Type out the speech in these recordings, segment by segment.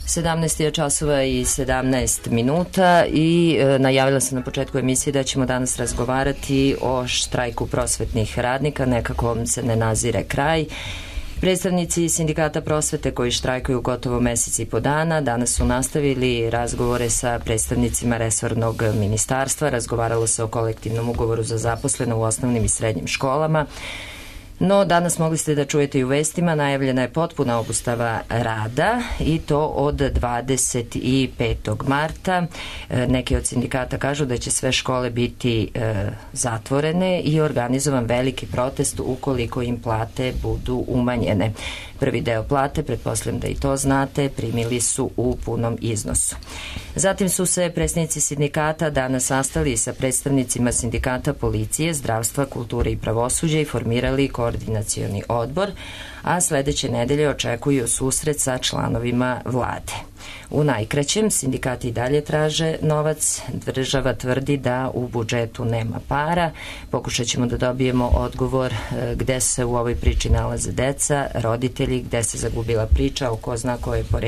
17 časova i 17 minuta i najavila sam na početku emisije da ćemo danas razgovarati o štrajku prosvetnih radnika, nekako se ne nazire kraj. Predstavnici sindikata prosvete koji štrajkuju gotovo mesec i po dana danas su nastavili razgovore sa predstavnicima resornog ministarstva, razgovaralo se o kolektivnom ugovoru za zaposlene u osnovnim i srednjim školama. No, danas mogli ste da čujete i u vestima, najavljena je potpuna obustava rada i to od 25. marta. Neki od sindikata kažu da će sve škole biti zatvorene i organizovan veliki protest ukoliko im plate budu umanjene. Prvi deo plate, pretpostavljam da i to znate, primili su u punom iznosu. Zatim su se predstavnici sindikata danas sastali sa predstavnicima sindikata policije, zdravstva, kulture i pravosuđa i formirali koordinacioni odbor, a sledeće nedelje očekuju susret sa članovima vlade. U najkraćem, sindikati i dalje traže novac, država tvrdi da u budžetu nema para. Pokušat ćemo da dobijemo odgovor gde se u ovoj priči nalaze deca, roditelji, gde se zagubila priča o ko zna ko je po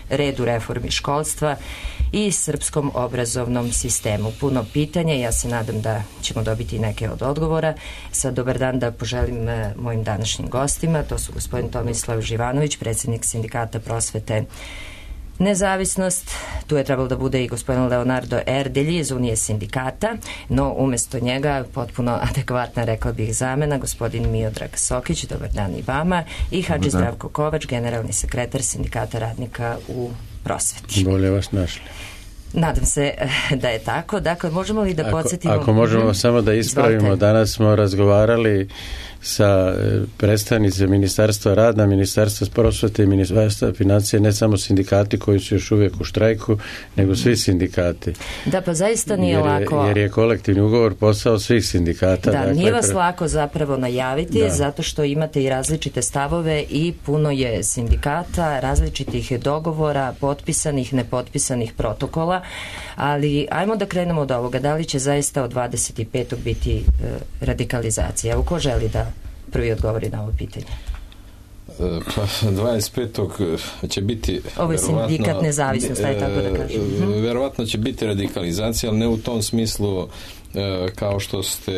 redu reformi školstva i srpskom obrazovnom sistemu. Puno pitanja, ja se nadam da ćemo dobiti neke od odgovora. Sad dobar dan da poželim mojim današnjim gostima, to su gospodin Tomislav Živanović, predsjednik sindikata prosvete Nezavisnost, tu je trebalo da bude i gospodin Leonardo Erdelji iz Unije sindikata, no umesto njega potpuno adekvatna, rekla bih, zamena, gospodin Miodrag Sokić, dobar dan i vama, i Hadži Zdravko Kovač, generalni sekretar sindikata radnika u prosveti. Bolje vas našli. Nadam se da je tako. Dakle, možemo li da podsjetimo... Ako možemo samo da ispravimo, danas smo razgovarali sa predstavnice Ministarstva rada, Ministarstva prosvete i Ministarstva financije, ne samo sindikati koji su još uvijek u štrajku, nego svi sindikati. Da, pa zaista nije lako. Jer je kolektivni ugovor posao svih sindikata. Da, dakle, nije vas lako zapravo najaviti, zato što imate i različite stavove i puno je sindikata, različitih dogovora, potpisanih, nepotpisanih protokola, ali ajmo da krenemo od ovoga. Da li će zaista od 25. biti radikalizacija? Evo, ko želi da prvi odgovori na ovo pitanje? Pa 25. će biti... Ovo je sindikat Nezavisnost, aj tako da kažem. Verovatno će biti radikalizacija, ali ne u tom smislu kao što ste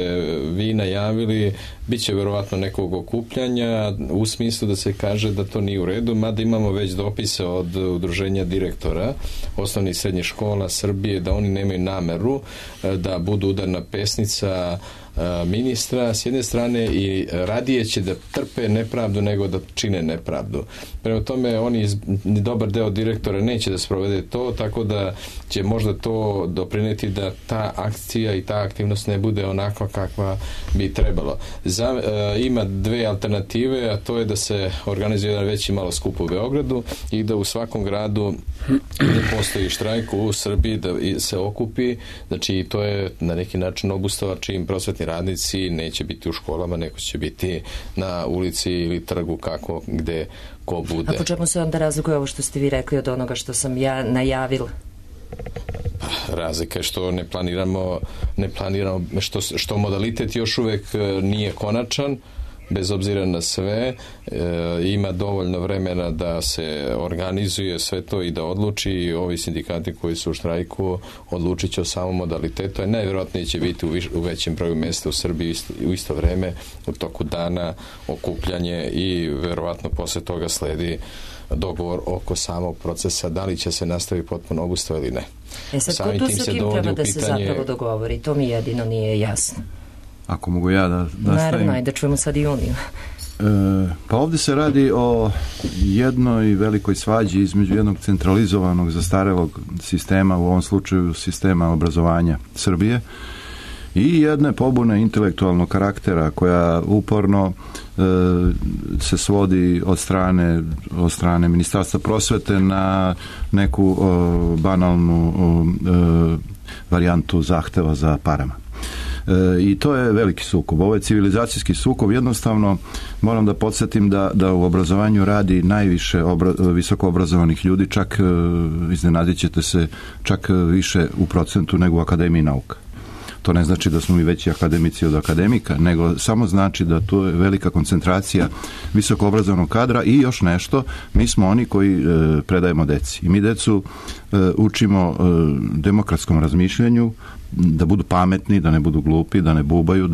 vi najavili, bit će verovatno nekog okupljanja u smislu da se kaže da to nije u redu, mada imamo već dopise od udruženja direktora osnovnih i srednjih škola Srbije da oni nemaju nameru da budu udarna pesnica ministra s jedne strane i radije će da trpe nepravdu nego da čine nepravdu. Prema tome, oni dobar deo direktora neće da sprovede to, tako da će možda to doprineti da ta akcija i ta aktivnost ne bude onakva kakva bi trebalo. Ima dve alternative, a to je da se organizuje jedan veći malo skup u Beogradu i da u svakom gradu gde postoji štrajk u Srbiji da se okupi, znači to je na neki način obustava čim prosvetni radnici neće biti u školama, nego će biti na ulici ili trgu kako, gde ko bude. A po čemu se onda razlikuje ovo što ste vi rekli od onoga što sam ja najavila? Razlika je što ne planiramo što modalitet još uvek nije konačan, bez obzira na sve, ima dovoljno vremena da se organizuje sve to i da odluči, i ovi sindikati koji su u štrajku odlučit će o samom modalitetu, a najvjerojatnije će biti u većem broju mesta u Srbiji u isto vreme u toku dana okupljanje i verovatno posle toga sledi dogovor oko samog procesa, da li će se nastaviti potpuno obustava ili ne. Sad, ko tu sa kim treba da se zapravo dogovori? To mi jedino nije jasno. Ako mogu ja da stavim... Naravno, da čujemo sad i Uniju. Pa ovdje se radi o jednoj velikoj svađi između jednog centralizovanog zastarelog sistema, u ovom slučaju sistema obrazovanja Srbije, i jedne pobune intelektualnog karaktera koja uporno se svodi od strane Ministarstva prosvete na neku banalnu varijantu zahteva za parama. I to je veliki sukob. Ovo je civilizacijski sukob. Jednostavno moram da podsjetim da u obrazovanju radi najviše visoko obrazovanih ljudi, čak iznenadit ćete se, čak više u procentu nego u Akademiji nauka. To ne znači da smo mi veći akademici od akademika, nego samo znači da tu je velika koncentracija visoko obrazovnog kadra i još nešto, mi smo oni koji predajemo deci. I mi decu učimo demokratskom razmišljanju, da budu pametni, da ne budu glupi, da ne bubaju,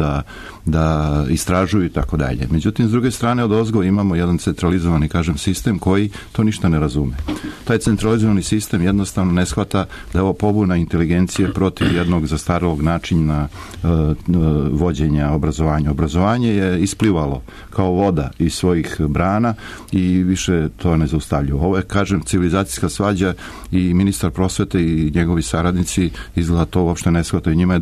da istražuju i tako dalje. Međutim, s druge strane odozgo imamo jedan centralizovani, kažem, sistem koji to ništa ne razume. Taj centralizovani sistem jednostavno ne shvata da je ovo pobuna inteligencije protiv jednog zastarelog načina vođenja obrazovanja. Obrazovanje je isplivalo kao voda iz svojih brana i više to ne zaustavlja. Ovo je, kažem, civilizacijska svađa i ministar prosvete i njegovi saradnici izgleda to uopšte ne shvataju. Njima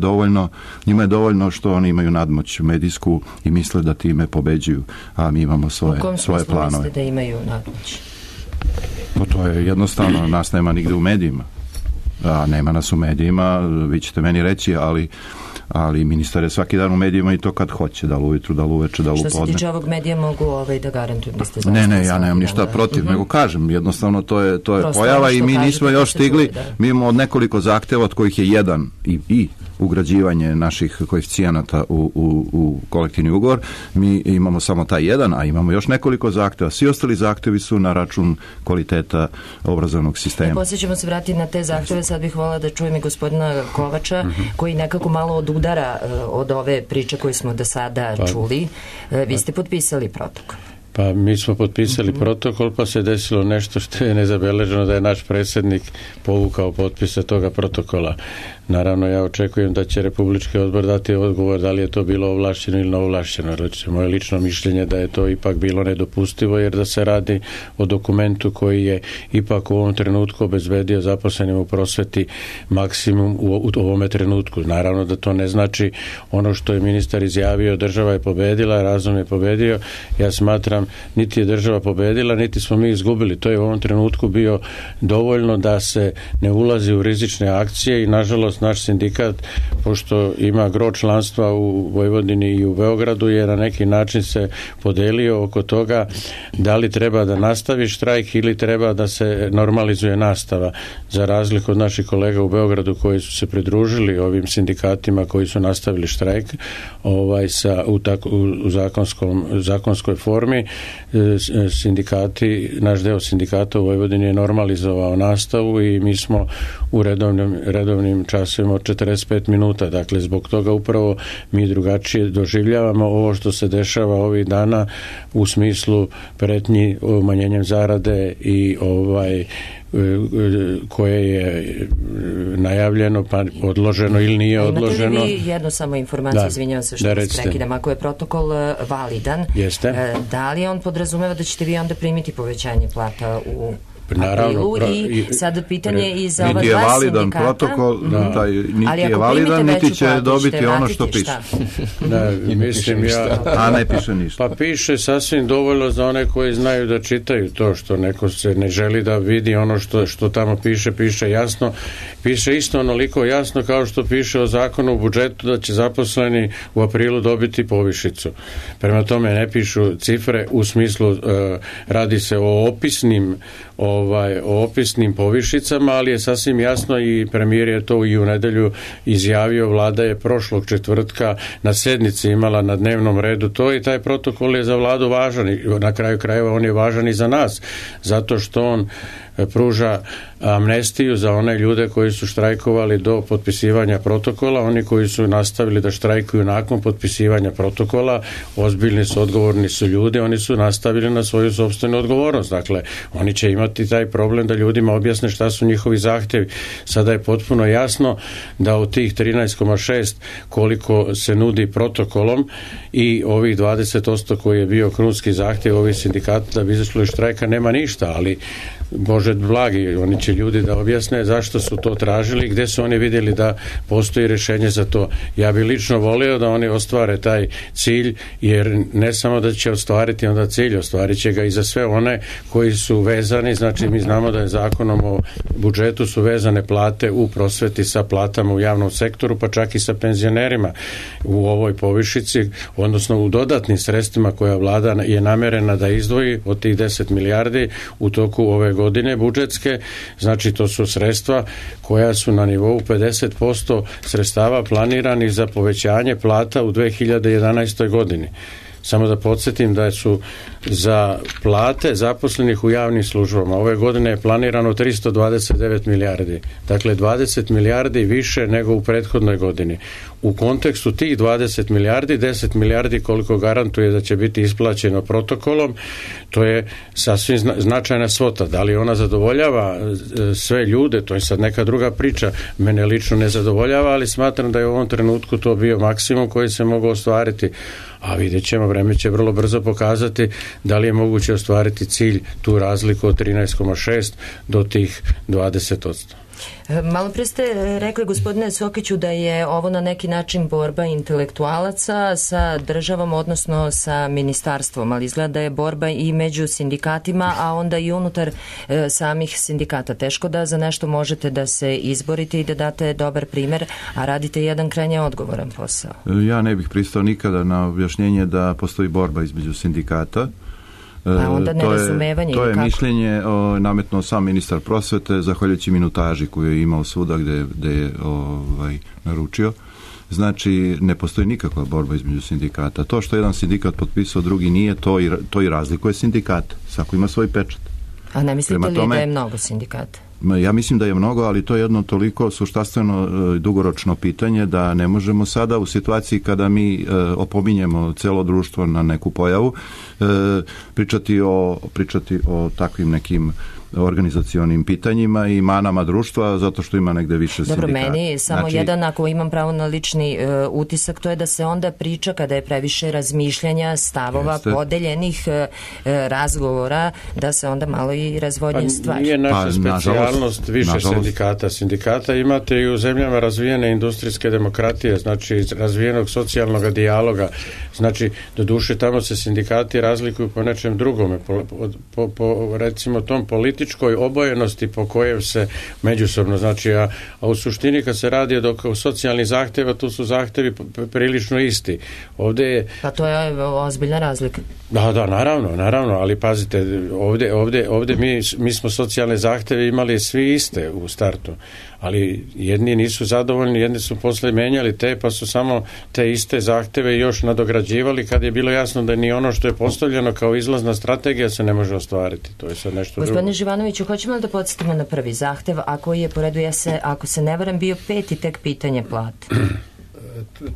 je dovoljno što oni imaju nadmoć medijsku i misle da time pobeđuju, a mi imamo svoje planove. U kom smislu mislite da imaju nadmoć? Pa to je jednostavno, nas nema nigde u medijima. A nema nas u medijima, vi ćete meni reći, ali ministar je svaki dan u medijima i to kad hoće, da li ujutru, da li uveče, da li upodne. Što se tiče ovog medija mogu da garantujem da ste zaista. Ne, ja nemam ništa protiv, nego kažem, jednostavno to je pojava i mi nismo još stigli, mi imamo od nekoliko zahteva od kojih je jedan i ugrađivanje naših koeficijenata u kolektivni ugovor. Mi imamo samo taj jedan, a imamo još nekoliko zahteva. Svi ostali zahtevi su na račun kvaliteta obrazovnog sistema. Poslije ćemo se vratiti na te zahteve. Sad bih volila da čujem i gospodina Kovača, koji nekako malo odudara od ove priče koje smo do sada čuli. Vi ste potpisali protokol. Pa mi smo potpisali protokol, pa se desilo nešto što je nezabeleženo, da je naš predsjednik povukao potpise toga protokola. Naravno, ja očekujem da će Republički odbor dati odgovor da li je to bilo ovlašćeno ili neovlašćeno. Moje lično mišljenje da je to ipak bilo nedopustivo, jer da se radi o dokumentu koji je ipak u ovom trenutku obezbedio zaposlenim u prosveti maksimum u ovome trenutku. Naravno da to ne znači ono što je ministar izjavio, država je pobedila, razum je pobedio. Ja smatram, niti je država pobedila, niti smo mi izgubili. To je u ovom trenutku bio dovoljno da se ne ulazi u rizične akcije i nažalost naš sindikat, pošto ima gro članstva u Vojvodini i u Beogradu, je na neki način se podelio oko toga da li treba da nastavi štrajk ili treba da se normalizuje nastava. Za razliku od naših kolega u Beogradu koji su se pridružili ovim sindikatima koji su nastavili štrajk u zakonskoj formi, sindikati, naš deo sindikata u Vojvodini je normalizovao nastavu i mi smo u redovnim časovima od 45 minuta. Dakle, zbog toga upravo mi drugačije doživljavamo ovo što se dešava ovih dana u smislu pretnji umanjenjem zarade i koje je najavljeno pa odloženo ili nije odloženo. Imate li vi jednu samo informaciju, izvinjavam se što vas prekidam, ako je protokol validan, da li on podrazumeva da ćete vi onda primiti povećanje plata u aprilu i sad pitanje i za ova dva sindikata. Niti je validan protokol, niti je validan, niti će dobiti ono što piše. A ne piše ništa. Pa piše sasvim dovoljno za one koji znaju da čitaju to, što neko se ne želi da vidi ono što tamo piše jasno. Piše isto onoliko jasno kao što piše o zakonu u budžetu da će zaposleni u aprilu dobiti povišicu. Prema tome ne pišu cifre u smislu radi se o opisnim povišicama, ali je sasvim jasno i premijer je to i u nedelju izjavio. Vlada je prošlog četvrtka na sednici imala na dnevnom redu to i taj protokol je za vladu važan i na kraju krajeva on je važan i za nas, zato što on pruža amnestiju za one ljude koji su štrajkovali do potpisivanja protokola. Oni koji su nastavili da štrajkuju nakon potpisivanja protokola, ozbiljni su, odgovorni su ljudi, oni su nastavili na svoju sopstvenu odgovornost. Dakle, oni će imati taj problem da ljudima objasne šta su njihovi zahtjevi. Sada je potpuno jasno da od tih 13,6 koliko se nudi protokolom i ovih 20% koji je bio krunski zahtjev ovih sindikata da bi izašli iz štrajka nema ništa, ali Bože blagi, oni će ljudi da objasne zašto su to tražili, gde su oni vidjeli da postoji rješenje za to. Ja bih lično volio da oni ostvare taj cilj, jer ne samo da će ostvariti onda cilj, ostvarit će ga i za sve one koji su vezani. Znači mi znamo da je zakonom o budžetu su vezane plate u prosveti sa platama u javnom sektoru, pa čak i sa penzionerima u ovoj povišici, odnosno u dodatnim sredstvima koja vlada je namerena da izdvoji od tih 10 milijardi u toku ove godine budžetske, znači to su sredstva koja su na nivou 50% sredstava planiranih za povećanje plata u 2011. godini. Samo da podsjetim da su za plate zaposlenih u javnim službama ove godine je planirano 329 milijardi. Dakle, 20 milijardi više nego u prethodnoj godini. U kontekstu tih 20 milijardi, 10 milijardi koliko garantuje da će biti isplaćeno protokolom, to je sasvim značajna svota. Da li ona zadovoljava sve ljude, to je sad neka druga priča. Mene lično ne zadovoljava, ali smatram da je u ovom trenutku to bio maksimum koji se mogu ostvariti. A vidjet ćemo, vreme će vrlo brzo pokazati da li je moguće ostvariti cilj, tu razliku od 13,6 do tih 20%. Malo pre ste rekli, gospodine Sokiću, da je ovo na neki način borba intelektualaca sa državom, odnosno sa ministarstvom, ali izgleda da je borba i među sindikatima, a onda i unutar samih sindikata. Teško da za nešto možete da se izborite i da date dobar primer, a radite jedan krajnje odgovoran posao. Ja ne bih pristao nikada na objašnjenje da postoji borba između sindikata. A onda nerazumevanje. To je mišljenje nametnuo sam ministar prosvete, zahvaljujući minutaži koju je imao svuda gde je naručio. Znači, ne postoji nikakva borba između sindikata. To što jedan sindikat potpisao, drugi nije, to i razlikuje sindikata. Svako ima svoj pečat. A ne mislite li da je mnogo sindikata? Ja mislim da je mnogo, ali to je jedno toliko suštanstveno dugoročno pitanje da ne možemo sada u situaciji kada mi opominjemo celo društvo na neku pojavu pričati o takvim nekim organizacionim pitanjima i manama društva zato što ima negde više sindikata. Dobro, meni samo jedan, ako imam pravo na lični utisak, to je da se onda priča kada je previše razmišljanja, stavova, podeljenih razgovora, da se onda malo i razvodnje stvari. Nije naša specijalnost više sindikata. Sindikata imate i u zemljama razvijene industrijske demokratije, znači razvijenog socijalnog dijaloga. Znači, doduše tamo se sindikati razlikuju po nečem drugome, po recimo tom političkoj obojenosti po kojem se međusobno, znači, a u suštini kad se radi o socijalnih zahtjeva, tu su zahtjevi prilično isti. Ovdje je... Pa to je ozbiljna razlika. Da, naravno, ali pazite, ovdje mi smo socijalne zahtjeve imali svi iste u startu, ali jedni nisu zadovoljni, jedni su posle menjali pa su samo te iste zahtjeve još nadograđivali kad je bilo jasno da ni ono što je postavljeno kao izlazna strategija se ne može ostvariti. To je sad nešto drugo. Gospodine Živanoviću, hoćemo li da podsjetimo na prvi zahtev, a koji je po redu, ako se ne varam, bio 5. tek pitanje plate?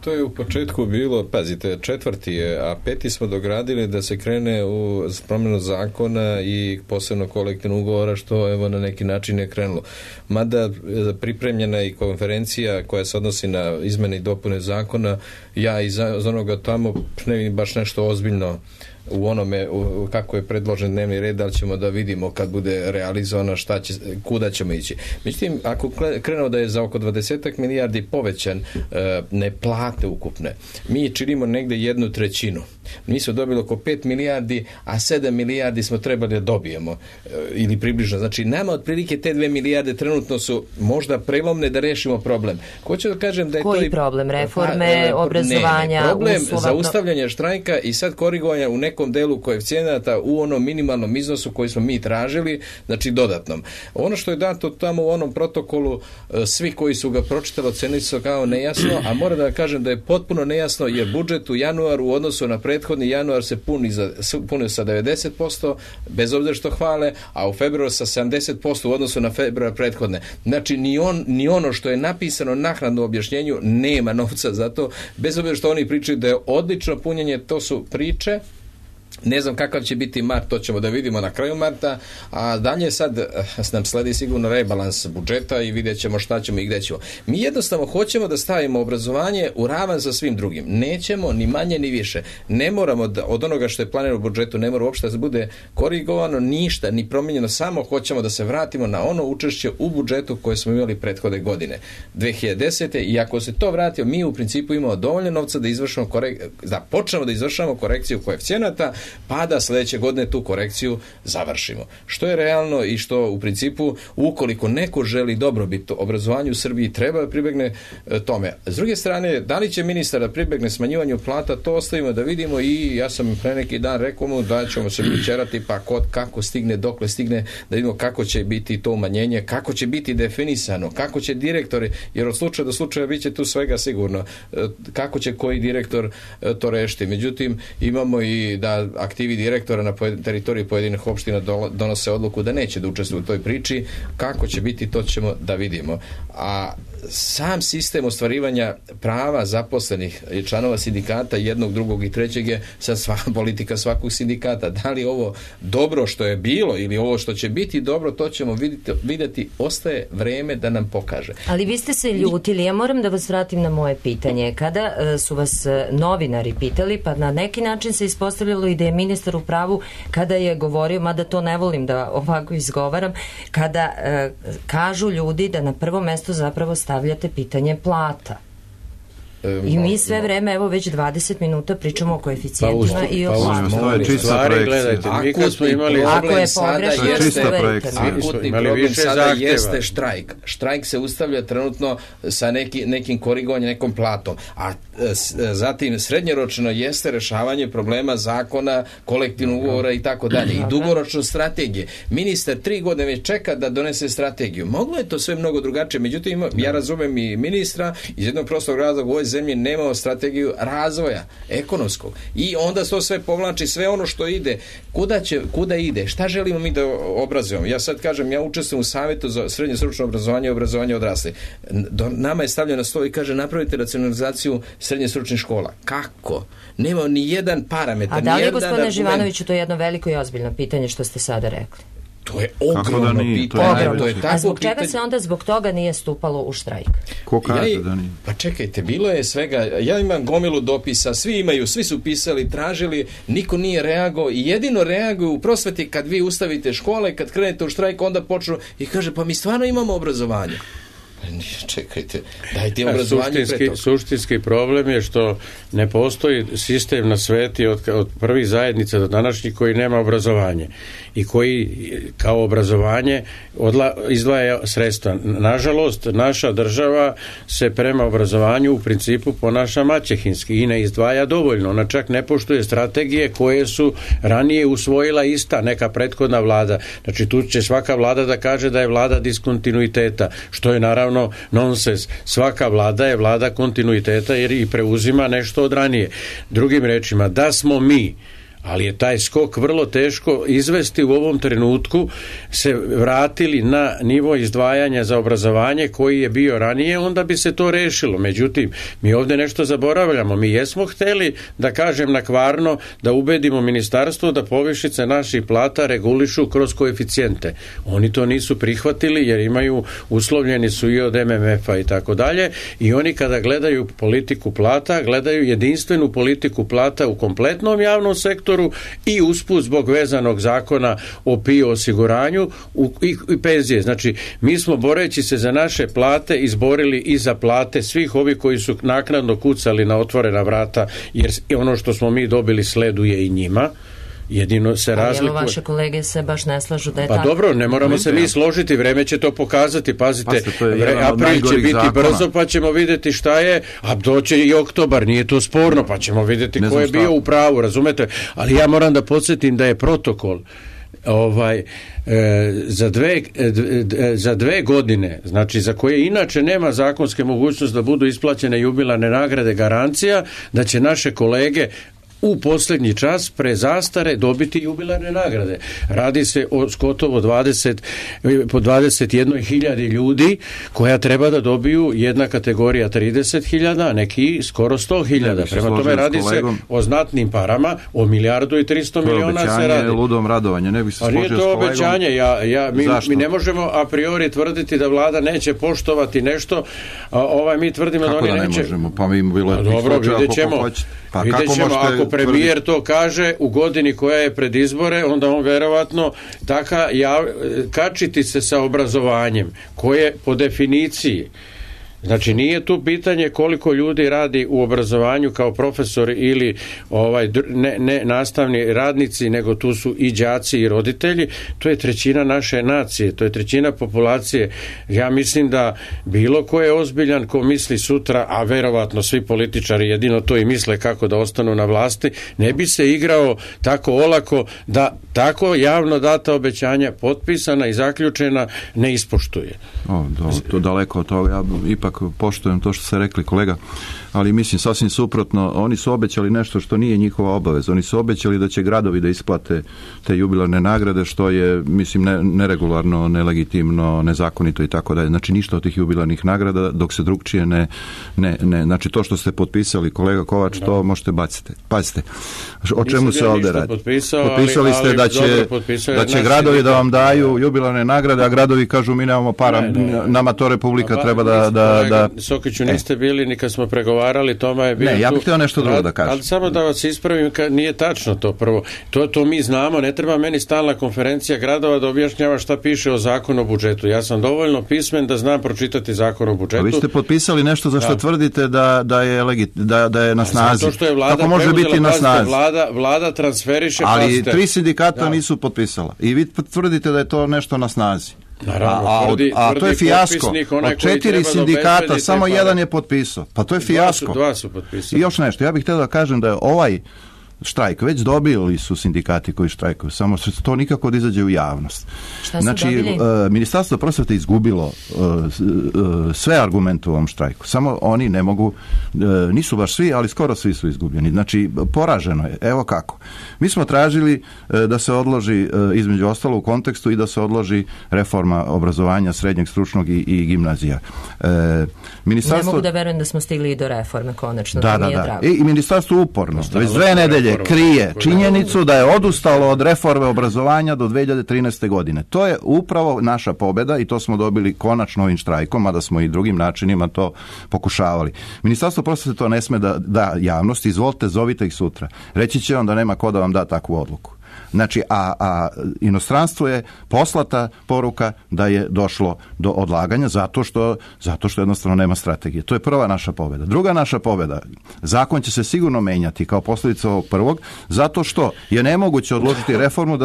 To je u početku bilo, pazite, 4. je, a 5. smo dogradili da se krene u promjenu zakona i posebno kolektivnog ugovora, što evo na neki način je krenulo. Mada pripremljena i konferencija koja se odnosi na izmene i dopune zakona, ja iz onoga tamo ne vidim baš nešto ozbiljno u onome kako je predložen dnevni red, ali ćemo da vidimo kad bude realizovano kuda ćemo ići. Međutim, ako krenemo da je za oko 20 milijardi povećan ne plate ukupne, mi činimo negde 1/3. Mi smo dobili oko 5 milijardi, a 7 milijardi smo trebali da dobijemo ili približno. Znači, nama otprilike te 2 milijarde trenutno su možda prelomne da rešimo problem. Hoću da kažem da je koji problem? Reforme, obrazovanja, problem zaustavljanja štrajka i sad korigovanja u nekom delu koeficijenata u onom minimalnom iznosu koji smo mi tražili, znači dodatnom. Ono što je dato tamo u onom protokolu, svi koji su ga pročitali ocenili su kao nejasno, a moram da kažem da je potpuno nejasno jer budžet u januaru u odnosu na prethodni januar se punio sa 90%, bez obzira što hvale, a u februaru sa 70% u odnosu na februar prethodne. Znači, ni ono što je napisano naknadno u objašnjenju nema novca za to, bez obzira što oni pričaju da je odlično punjenje, to su priče. Ne znam kakav će biti mart, to ćemo da vidimo na kraju marta, a dalje sad nam sledi sigurno rebalans budžeta i vidjet ćemo šta ćemo i gde ćemo. Mi jednostavno hoćemo da stavimo obrazovanje u ravan sa svim drugim. Nećemo ni manje ni više. Ne moramo od onoga što je planirano u budžetu, ne mora uopšte da bude korigovano ništa, ni promijenjeno, samo hoćemo da se vratimo na ono učešće u budžetu koje smo imali prethodne godine, 2010. I ako se to vratio, mi u principu imamo dovoljno novca da počnemo da izvršamo korekciju koeficijenata pa da sledeće godine tu korekciju završimo. Što je realno i što u principu, ukoliko neko želi dobrobit obrazovanju u Srbiji, treba da pribegne tome. S druge strane, da li će ministar da pribegne smanjivanju plata, to ostavimo da vidimo i ja sam pre neki dan rekao mu da ćemo se pričerati pa kako stigne, dokle stigne, da vidimo kako će biti to umanjenje, kako će biti definisano, kako će direktori, jer od slučaja do slučaja bit će tu svega sigurno, kako će koji direktor to rešiti. Međutim, imamo i da aktivi direktora na teritoriji pojedinih opština donose odluku da neće da učestvuju u toj priči. Kako će biti, to ćemo da vidimo. A sam sistem ostvarivanja prava zaposlenih i članova sindikata jednog, drugog i trećeg je sad politika svakog sindikata. Da li ovo dobro što je bilo ili ovo što će biti dobro, to ćemo vidjeti, ostaje vreme da nam pokaže. Ali vi ste se ljutili, ja moram da vas vratim na moje pitanje. Kada su vas novinari pitali, pa na neki način se ispostavljalo i da je ministar u pravu kada je govorio, mada to ne volim da ovako izgovaram, kada kažu ljudi da na prvo mesto zapravo stavljate pitanje plata. I mi sve vreme, evo već 20 minuta pričamo o koeficijentima i o stvari. Gledajte, mi kad smo imali... Ako je pogrešno, akutni problem sada jeste štrajk. Štrajk se ustavlja trenutno sa nekim korigovanjem, nekom platom. A zatim srednjoročno jeste rešavanje problema zakona, kolektivnog ugovora i tako dalje. I dugoročno strategije. Ministar 3 godine već čeka da donese strategiju. Moglo je to sve mnogo drugačije. Međutim, ja razumem i ministra iz jednog prostog razloga, u ovoj zemlji nemamo strategiju razvoja ekonomskog. I onda to sve povlači, sve ono što ide. Kuda ide? Šta želimo mi da obrazujemo? Ja sad kažem, ja učestvujem u Savetu za srednje stručno obrazovanje i obrazovanje odraslih. Nama je stavljeno na stol i kaže napravite racionalizaciju srednje stručnih škola. Kako? Nema ni jedan parametar. A da li je, gospodine Živanoviću, to je jedno veliko i ozbiljno pitanje što ste sada rekli? To je ogromno pitanje. A zbog čega se onda zbog toga nije stupalo u štrajk? Ko kaže da nije? Pa čekajte, bilo je svega, ja imam gomilu dopisa, svi su pisali, tražili, niko nije reagovao i jedino reaguju u prosveti kad vi ustavite škole, kad krenete u štrajk, onda počnu i kaže, pa mi stvarno imamo obrazovanje. Čekajte, dajte obrazovanje pre toga. Suštinski problem je što ne postoji sistem na sveti od prvih zajednica do današnjih koji nema obrazovanje i koji kao obrazovanje izdvaja sredstva. Nažalost, naša država se prema obrazovanju u principu ponaša maćehinski i ne izdvaja dovoljno. Ona čak ne poštuje strategije koje su ranije usvojila ista neka prethodna vlada. Znači tu će svaka vlada da kaže da je vlada diskontinuiteta, što je naravno nonsens. Svaka vlada je vlada kontinuiteta jer i preuzima nešto od ranije. Drugim rečima, da smo mi, ali je taj skok vrlo teško izvesti u ovom trenutku, se vratili na nivo izdvajanja za obrazovanje koji je bio ranije, onda bi se to rešilo. Međutim, mi ovdje nešto zaboravljamo. Mi jesmo hteli, da kažem nakvarno, da ubedimo ministarstvo da povišice naših plata regulišu kroz koeficijente. Oni to nisu prihvatili jer imaju, uslovljeni su i od MMF-a i tako dalje, i oni kada gledaju politiku plata, gledaju jedinstvenu politiku plata u kompletnom javnom sektoru i usput zbog vezanog zakona o PIO osiguranju i penzije. Znači, mi smo boreći se za naše plate izborili i za plate svih ovih koji su naknadno kucali na otvorena vrata, jer ono što smo mi dobili sleduje i njima. Jedino se razlikuje. Ali evo, vaše kolege se baš ne slažu da je tako. Pa dobro, ne moramo se mi složiti, vreme će to pokazati. Pazite, april će biti brzo, pa ćemo vidjeti šta je, a doće i oktobar, nije to sporno, pa ćemo vidjeti ko je bio u pravu, razumete? Ali ja moram da podsjetim da je protokol za 2 godine, znači za koje inače nema zakonske mogućnosti da budu isplaćene jubilarne nagrade, garancija da će naše kolege u posljednji čas pre zastare dobiti jubilarne nagrade. Radi se o gotovo 21.000 ljudi koja treba da dobiju, jedna kategorija 30.000, a neki skoro 100.000. Prema tome radi se o znatnim parama, o 1.300 miliona se radi. Obećanje ludom radovanje, ne bih se složio s kolegom. Nije to obećanje, mi ne možemo a priori tvrditi da vlada neće poštovati nešto, mi tvrdimo kako da oni neće. Kako da ne možemo? Pa mi bilo je dobro, vidjet ćemo. Vidjet ćemo, ako premijer to kaže u godini koja je pred izbore, onda on verovatno kačiti se sa obrazovanjem, koje po definiciji Znači nije tu pitanje koliko ljudi radi u obrazovanju kao profesori ili ne nastavni radnici, nego tu su i đaci i roditelji. To je trećina naše nacije, to je trećina populacije. Ja mislim da bilo ko je ozbiljan, ko misli sutra, a verovatno svi političari jedino to i misle kako da ostanu na vlasti, ne bi se igrao tako olako da tako javno data obećanja potpisana i zaključena ne ispoštuje. To daleko od toga. Ja ipak poštujem to što ste rekli, kolega, ali mislim sasvim suprotno. Oni su obećali nešto što nije njihova obaveza. Oni su obećali da će gradovi da isplate te jubilarne nagrade, što je, mislim, neregularno, nelegitimno, nezakonito i tako dalje. Znači ništa od tih jubilarnih nagrada dok se drugčije ne znači to što ste potpisali, kolega Kovač, to možete baciti. Pazite, o čemu se ovdje radi? Potpisali ste da će gradovi da vam daju jubilarne nagrade, a gradovi kažu mi nemamo para, nama to Republika treba da... Sokiću, niste bili ni kad smo pregovarali, Toma je bio tu. Ne, ja bih htio nešto drugo da kažem. Ali samo da vas ispravim, nije tačno to prvo. To mi znamo, ne treba meni stalna konferencija gradova da objašnjava šta piše o zakonu o budžetu. Ja sam dovoljno pismen da znam pročitati zakon o budžetu. A vi ste potpisali nešto za što tvrdite da je na snazi. Zato što je vlada kako može biti na snazi? Vlada transferiše... Ali 3 sindikata nisu potpisala. I vi tvrdite da je to nešto na snazi. Naravno, a to je fijasko. Od 4 sindikata samo jedan je potpisao. Pa to je fijasko. Dva su potpisali. I još nešto, ja bih htio da kažem da je ovaj štrajk već dobili su sindikati koji štrajkuju, samo što to nikako da izađe u javnost. Znači, Ministarstvo prosvete izgubilo sve argumente u ovom štrajku. Samo oni ne mogu, nisu baš svi, ali skoro svi su izgubljeni. Znači, poraženo je. Evo kako. Mi smo tražili da se odloži, između ostalo u kontekstu, i da se odloži reforma obrazovanja srednjeg, stručnog i gimnazija. Ne mogu da verujem da smo stigli i do reforme, konačno. Da. I ministarstvo uporno, već 2 nedelje krije činjenicu da je odustalo od reforme obrazovanja do 2013. godine. To je upravo naša pobjeda i to smo dobili konačno ovim štrajkom, a da smo i drugim načinima to pokušavali. Ministarstvo prosvete to ne sme da javnosti, izvolite, zovite ih sutra. Reći će vam da nema ko da vam da takvu odluku. Znači, a inostranstvu je poslata poruka da je došlo do odlaganja zato što jednostavno nema strategije. To je prva naša pobjeda. Druga naša pobjeda, zakon će se sigurno menjati kao posljedica ovog prvog, zato što je nemoguće odložiti reformu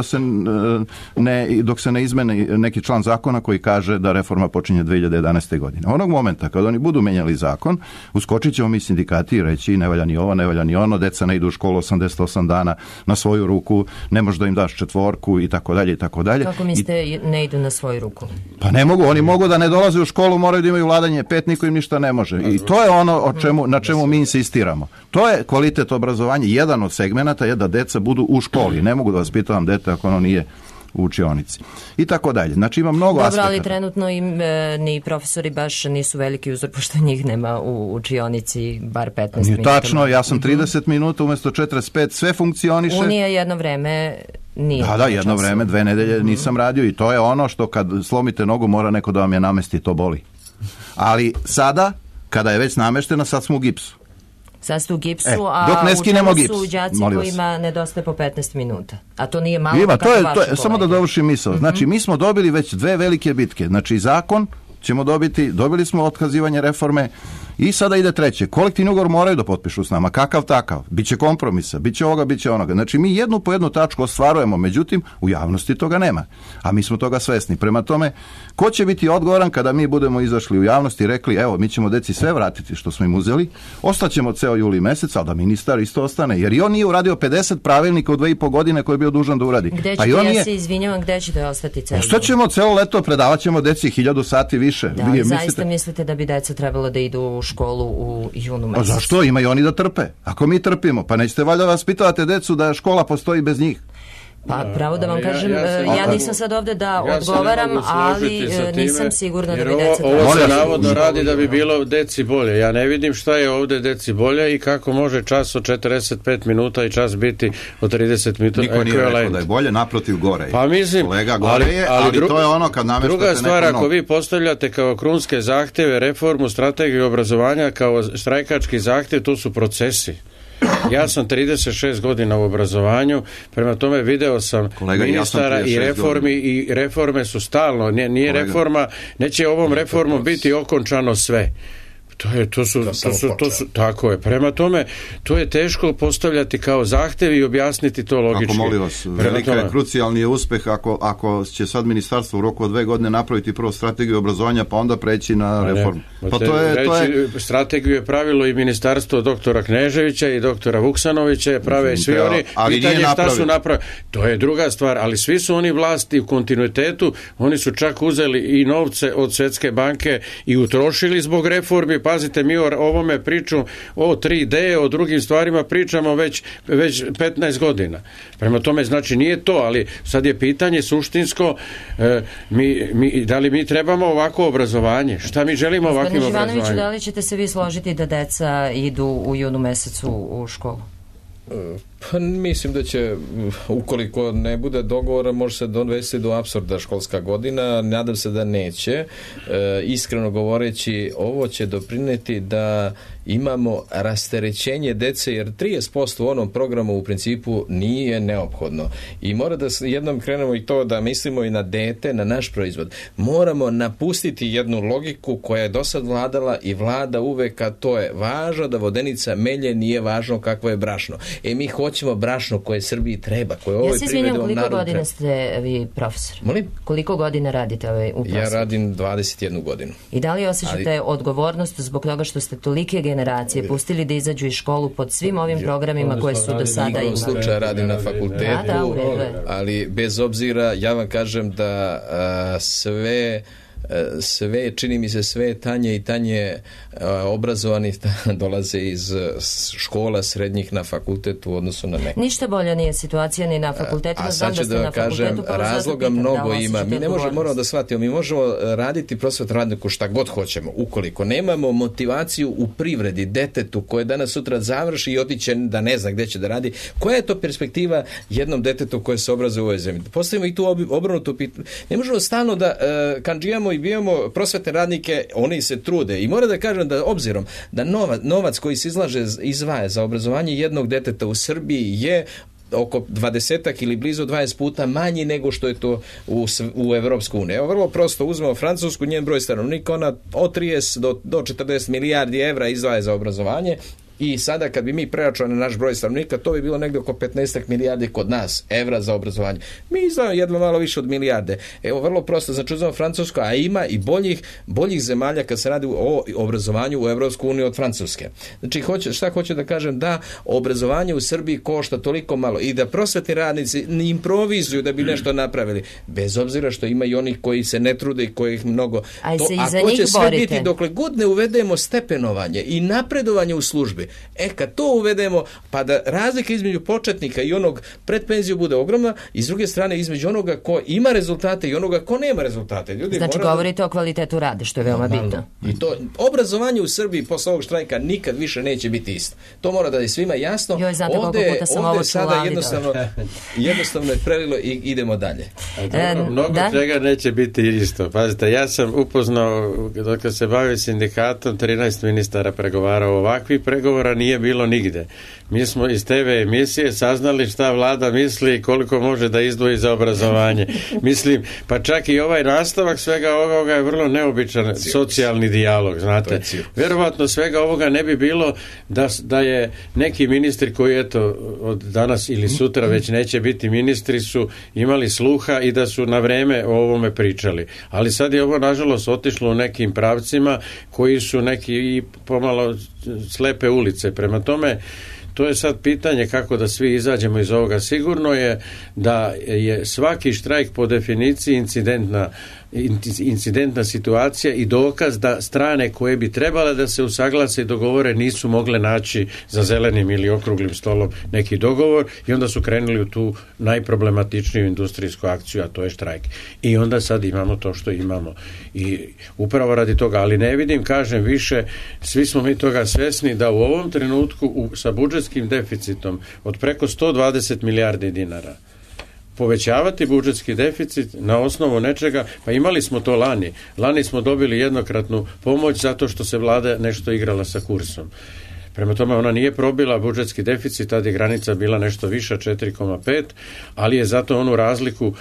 dok se ne izmeni neki član zakona koji kaže da reforma počinje 2011. godine. Onog momenta kad oni budu menjali zakon, uskočit ćemo mi sindikati i reći ne valja ni ovo, ne valja ni ono, deca ne idu u školu 88 dana na svoju ruku, ne može da im daš 4 i tako dalje i tako dalje. Kako mislite ne idu na svoju ruku? Pa ne mogu, oni mogu da ne dolaze u školu, moraju da imaju vladanje 5, niko im ništa ne može. I to je ono na čemu mi insistiramo. To je kvalitet obrazovanja. Jedan od segmenata je da deca budu u školi. Ne mogu da vas pitam dete ako ono nije u učionici. I tako dalje. Znači ima mnogo aspekata. Dobro, ali trenutno ni profesori baš nisu veliki uzor, pošto njih nema u učionici bar 15 minuta. Tačno, ja sam 30 minuta umjesto 45, sve funkcioniše. Unija jedno vreme nije. Da, jedno vreme, 2 nedelje nisam radio i to je ono što kad slomite nogu mora neko da vam je namesti, to boli. Ali sada, kada je već nameštena, sad smo u gipsu. Sad ste u gipsu, a u čemu su đaci kojima nedostaje po 15 minuta. A to nije malo kako vaše kolege. Samo da dovršim misao. Znači, mi smo dobili već 2 velike bitke. Znači, zakon ćemo dobili smo otkazivanje reforme i sada ide 3. Kolektivni ugovor moraju da potpišu s nama. Kakav takav? Biće kompromisa, biće ovoga, biće onoga. Znači, mi jednu po jednu tačku ostvarujemo, međutim, u javnosti toga nema. A mi smo toga svesni. Prema tome, ko će biti odgovoran kada mi budemo izašli u javnosti i rekli, evo, mi ćemo deci sve vratiti što smo im uzeli, ostaćemo ceo juli mesec, ali da ministar isto ostane, jer i on nije uradio 50 pravilnika u 2,5 godine koje je bio dužan da uradi. Gde ćete, ja se izvinjavam, gde ćete ostati celo? Ostaćemo celo leto, predavat ćemo deci 1000 sati više. Da, zaista mislite da bi deca trebalo da idu u školu u junu mesecu? A zašto? Ima i oni da trpe. Ako mi trpimo, pa nećete valjda vas pitate decu da škola postoji bez njih. Pa pravo da vam kažem, ja nisam sad ovdje da odgovaram, ali nisam sigurna da bi deca... Ovo se navodno radi da bi bilo deci bolje. Ja ne vidim šta je ovdje deci bolje i kako može čas od 45 minuta i čas biti od 30 minuta. Niko nije rekao da je bolje, naprotiv gore je. Pa mislim, kolega, gore je, ali to je ono kad nameštate druga stvar, ako vi postavljate kao krunske zahtjeve reformu strategije obrazovanja kao štrajkački zahtjev, to su procesi. Ja sam 36 godina u obrazovanju, prema tome video sam ministara i reformi i reforme su stalno, nije reforma, neće ovom reformom biti okončano sve. To su tako je. Prema tome, to je teško postavljati kao zahtev i objasniti to logički. Ako molim vas, velika je krucijalni je uspeh ako će sad ministarstvo u roku od 2 godine napraviti prvo strategiju obrazovanja, pa onda preći na reformu. Pa to je... Strategiju je pravilo i ministarstvo doktora Kneževića i doktora Vuksanovića, prave i svi oni. Pitanje šta su napravili. To je druga stvar, ali svi su oni vlasti u kontinuitetu, oni su čak uzeli i novce od Svjetske banke i utrošili zbog reformi. Pazite, mi o ovome priču, o 3D, o drugim stvarima pričamo već 15 godina. Prema tome, znači nije to, ali sad je pitanje suštinsko, da li mi trebamo ovako obrazovanje? Šta mi želimo ovakvim obrazovanjem? Ivanoviću, da li ćete se vi složiti da deca idu u junu mesecu u školu? Pa mislim da će, ukoliko ne bude dogovora, može se dovesti do apsurda školska godina. Nadam se da neće. Iskreno govoreći, ovo će doprineti da imamo rasterećenje dece, jer 30% u onom programu u principu nije neophodno. I mora da jednom krenemo i to da mislimo i na dete, na naš proizvod. Moramo napustiti jednu logiku koja je do sad vladala i vlada uvek, a to je važno da vodenica melje, nije važno kakvo je brašno. Mi hoćemo brašno koje Srbiji treba, koje ovoj privredi ovom narodu treba. Koliko godina ste vi profesor? Molim? Koliko godina radite u prosvetu? Ja radim 21 godinu. I da li osjećate odgovornost zbog toga što ste tolike generacije pustili da izađu iz školu pod svim ovim programima koje su do sada imali? U slučaju radim na fakultetu, ali bez obzira, ja vam kažem da sve, čini mi se, sve tanje i tanje obrazovani dolaze iz škola srednjih na fakultet u odnosu na neke. Ništa bolja nije situacija ni na fakultetima. A sad ću da kažem, razloga mnogo ima. Mi ne moramo da shvatimo, mi možemo raditi prosvetnu radniku šta god hoćemo. Ukoliko nemamo motivaciju u privredi detetu koje danas sutra završi i otiće da ne zna gde će da radi, koja je to perspektiva jednom detetu koje se obrazuje u ovoj zemlji? Postavimo i tu obrnutu pitanje. Ne možemo stalno da kandžijamo i bijemo prosvetne radnike, oni se trude. I mora da kažem da obzirom da novac koji se izdvaja za obrazovanje jednog deteta u Srbiji je oko 20 ili blizu 20 puta manji nego što je to u Evropsku uniju. Evo, vrlo prosto, uzmemo Francusku, njen broj stanovnika, ona od 30 do 40 milijardi evra izdvaja za obrazovanje. I sada kad bi mi preračunali na naš broj stanovnika, to bi bilo negdje oko 15 milijardi kod nas evra za obrazovanje. Mi izdvajamo jedno malo više od milijarde. Evo, vrlo prosto, znači uzmemo Francusko, a ima i boljih zemalja kad se radi o obrazovanju u Evropsku uniju od Francuske. Znači, šta hoću da kažem? Da obrazovanje u Srbiji košta toliko malo i da prosvetni radnici ne improvizuju da bi nešto napravili, bez obzira što ima i onih koji se ne trude i kojih mnogo. A to će sve biti dokle god ne uvedemo stepenovanje i napredovanje u službi. Kad to uvedemo, pa da razlika između početnika i onog pred penziju bude ogromna, i s druge strane između onoga ko ima rezultate i onoga ko nema rezultate. Ljudi, znači govorite o kvalitetu rada, što je veoma bitno. I to obrazovanje u Srbiji posle ovog štrajka nikad više neće biti isto. To mora da je svima jasno. Ovde sada jednostavno je prelilo i idemo dalje. Mnogo čega neće biti isto. Pazite, ja sam upoznao, dok se bavim sindikatom, 13 ministara pregovarao. Ovakvi pregovora nije bilo nigde. Mi smo iz TV emisije saznali šta vlada misli i koliko može da izdvoji za obrazovanje. Mislim, pa čak i ovaj nastavak svega ovoga je vrlo neobičan socijalni dijalog, znate. Vjerovatno svega ovoga ne bi bilo da je neki ministri koji eto od danas ili sutra već neće biti ministri su imali sluha i da su na vreme o ovome pričali. Ali sad je ovo nažalost otišlo u nekim pravcima koji su neki i pomalo slepe ulice. Prema tome, to je sad pitanje kako da svi izađemo iz ovoga. Sigurno je da je svaki štrajk po definiciji incidentna situacija i dokaz da strane koje bi trebale da se usaglase i dogovore nisu mogle naći za zelenim ili okruglim stolom neki dogovor i onda su krenuli u tu najproblematičniju industrijsku akciju, a to je štrajk. I onda sad imamo to što imamo. I upravo radi toga, ali ne vidim, kažem više, svi smo mi toga svesni da u ovom trenutku sa budžetskim deficitom od preko 120 milijardi dinara povećavati budžetski deficit na osnovu nečega, pa imali smo to lani. Lani smo dobili jednokratnu pomoć zato što se vlada nešto igrala sa kursom. Prema tome ona nije probila budžetski deficit, tad je granica bila nešto viša, 4,5, ali je zato onu razliku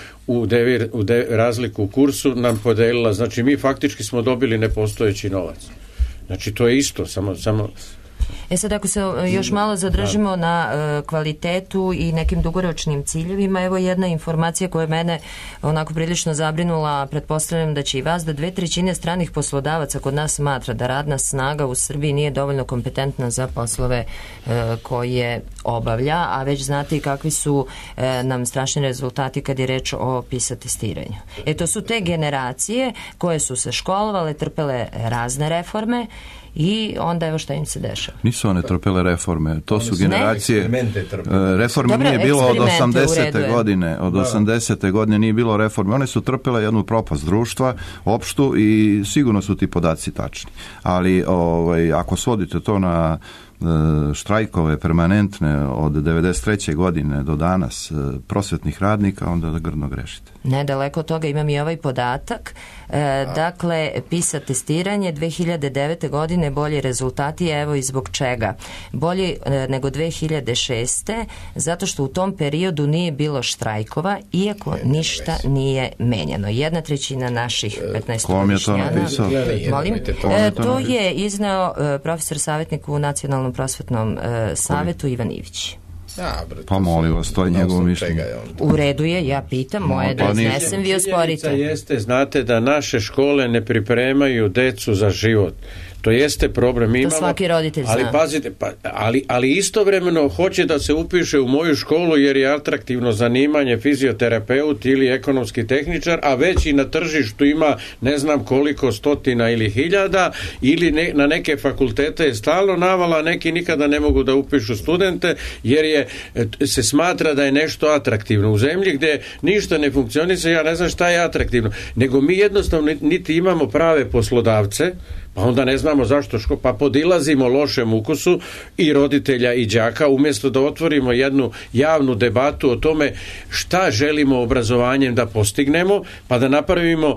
razliku u kursu nam podelila. Znači mi faktički smo dobili nepostojeći novac. Znači to je isto, samo Sad ako se još malo zadržimo na kvalitetu i nekim dugoročnim ciljevima, evo jedna informacija koja je mene onako prilično zabrinula, pretpostavljam da će i vas, da 2/3 stranih poslodavaca kod nas smatra da radna snaga u Srbiji nije dovoljno kompetentna za poslove koje obavlja, a već znate i kakvi su nam strašni rezultati kad je reč o PISA testiranju. To su te generacije koje su se školovale, trpele razne reforme i onda evo šta im se dešava. Nisu one trpele reforme, to su generacije. Reforme nije bilo od 80. godine. Od 80. godine nije bilo reforme. One su trpele jednu propast društva, opštu, i sigurno su ti podaci tačni. Ali ako svodite to na štrajkove permanentne od 93. godine do danas prosvetnih radnika, onda da grdno grešite. Nedaleko od toga imam i ovaj podatak. Dakle, PISA testiranje 2009. godine bolji rezultati, evo i zbog čega. Bolji nego 2006. zato što u tom periodu nije bilo štrajkova, iako ništa nije menjano. 1/3 naših 15-godišnjana. Molim? To je izneo profesor savjetnik u Nacionalnom prosvetnom savetu Ivan Ivić. Pa molim vas, to je njegovo mišljenje. U redu je, ja pitam, moje da iznesem, vi osporite. Jeste, znate da naše škole ne pripremaju decu za život. To jeste problem. To svaki roditelj zna. Ali pazite, ali istovremeno hoće da se upiše u moju školu jer je atraktivno zanimanje fizioterapeut ili ekonomski tehničar, a već i na tržištu ima ne znam koliko stotina ili hiljada, ili na neke fakultete je stalno navala, neki nikada ne mogu da upišu studente jer se smatra da je nešto atraktivno. U zemlji gdje ništa ne funkcioniše, ja ne znam šta je atraktivno, nego mi jednostavno niti imamo prave poslodavce, pa onda ne znamo zašto pa podilazimo lošem ukusu i roditelja i đaka, umjesto da otvorimo jednu javnu debatu o tome šta želimo obrazovanjem da postignemo, pa da napravimo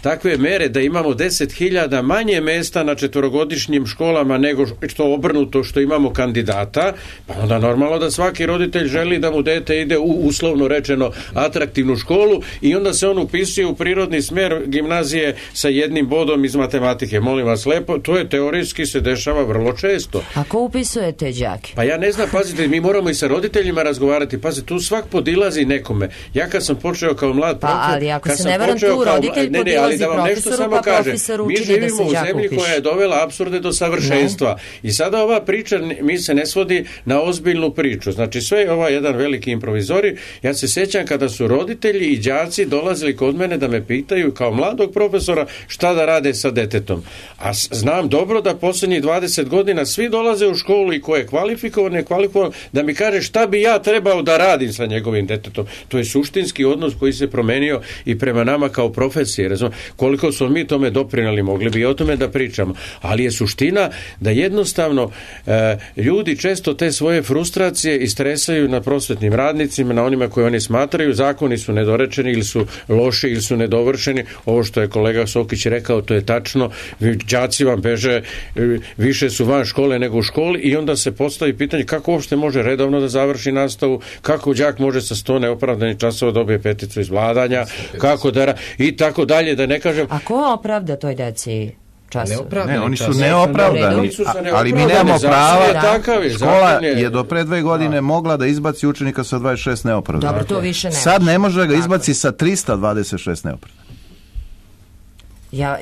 takve mere da imamo 10.000 manje mesta na 4-godišnjim školama nego što obrnuto što imamo kandidata, pa onda normalno da svaki roditelj želi da mu dete ide u uslovno rečeno atraktivnu školu i onda se on upisuje u prirodni smjer gimnazije sa 1 bodom iz matematike. Molim vas lepo, to je teorijski se dešava vrlo često. A ko upisuje te đake? Pa ja ne znam, pazite, mi moramo i sa roditeljima razgovarati. Pazite, tu svak podilazi nekome. Ja kad sam počeo kao mlad profesor... Pa ali ako se ne varam tu, roditelj podilazi profesoru, pa profesor učini da se đak upiše. Mi živimo u zemlji koja je dovela apsurde do savršenstva. I sada ova priča, mi se ne svodi na ozbiljnu priču. Znači sve je jedan veliki improvizori. Ja se sjećam kada su roditelji i đaci dolazili kod mene da me pitaju kao mladog profesora šta da rade sa detetom. A znam dobro da posljednjih 20 godina svi dolaze u školu i ko je kvalifikovan, nekvalifikovan, da mi kaže šta bi ja trebao da radim sa njegovim detetom. To je suštinski odnos koji se promenio i prema nama kao profesije. Razumem, koliko smo mi tome doprinijeli, mogli bi o tome da pričamo. Ali je suština da jednostavno ljudi često te svoje frustracije istresaju na prosvetnim radnicima, na onima koje oni smatraju, zakoni su nedorečeni ili su loši ili su nedovršeni. Ovo što je kolega Sokić rekao, to je tačno. Đaci vam beže, više su van škole nego u školi i onda se postavi pitanje kako uopšte može redovno da završi nastavu, kako đak može sa 100 neopravdanih časova dobije 5 iz vladanja, kako da i tako dalje, da ne kažem. A ko opravda toj deci časove? Ne, oni su neopravdani, ali mi nemamo prava. Škola je do pre 2 godine mogla da izbaci učenika sa 26 neopravdanih. Dobro, to više ne. Sad ne može ga izbaci sa 326 neopravdanih.